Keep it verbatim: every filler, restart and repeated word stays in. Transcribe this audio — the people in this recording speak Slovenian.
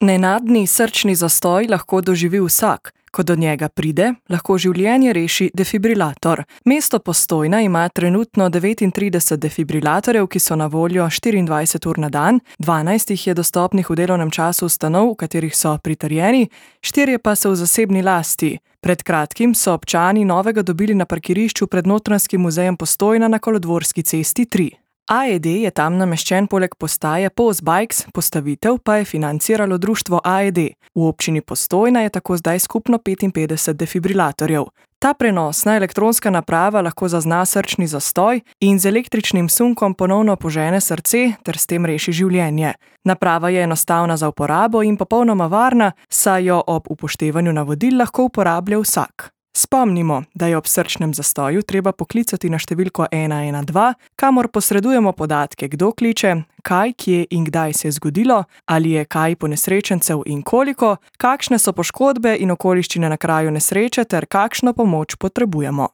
Nenadni srčni zastoj lahko doživi vsak. Ko do njega pride, lahko življenje reši defibrilator. Mesto Postojna ima trenutno devetintrideset defibrilatorjev, ki so na voljo štiriindvajset ur na dan, dvanajst jih je dostopnih v delovnem času ustanov, v katerih so pritrjeni, štirje pa so v zasebni lasti. Pred kratkim so občani novega dobili na parkirišču pred Notranjskim muzejem Postojna na Kolodvorski cesti tri. A E D je tam nameščen poleg postaje Pos Bikes, postavitev pa je financiralo društvo A E D. V občini Postojna je tako zdaj skupno petinpetdeset defibrilatorjev. Ta prenosna elektronska naprava lahko zazna srčni zastoj in z električnim sunkom ponovno požene srce ter s tem reši življenje. Naprava je enostavna za uporabo in popolnoma varna, saj jo ob upoštevanju navodil lahko uporablja vsak. Spomnimo, da je ob srčnem zastoju treba poklicati na številko ena ena dva, kamor posredujemo podatke, kdo kliče, kaj, kje in kdaj se je zgodilo, ali je kaj ponesrečencev in koliko, kakšne so poškodbe in okoliščine na kraju nesreče ter kakšno pomoč potrebujemo.